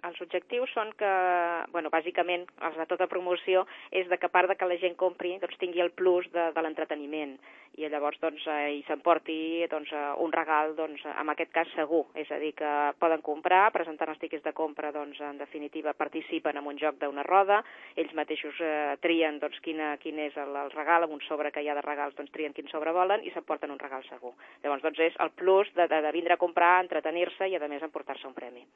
Els objectius són que, bueno, bàsicament, els de tota promoció és de que a part de que la gent compri, doncs tingui el plus de l'entreteniment i llavors doncs hi s'emporti doncs, un regal, doncs, en aquest cas segur, és a dir, que poden comprar, presentant els tiquets de compra, doncs, en definitiva participen en un joc d'una roda, ells mateixos trien doncs, quin és el regal, amb un sobre que hi ha de regals, doncs trien quin sobre volen i s'emporten un regal segur. Llavors doncs és el plus de vindre a comprar, entretenir-se i a més emportar-se un premi.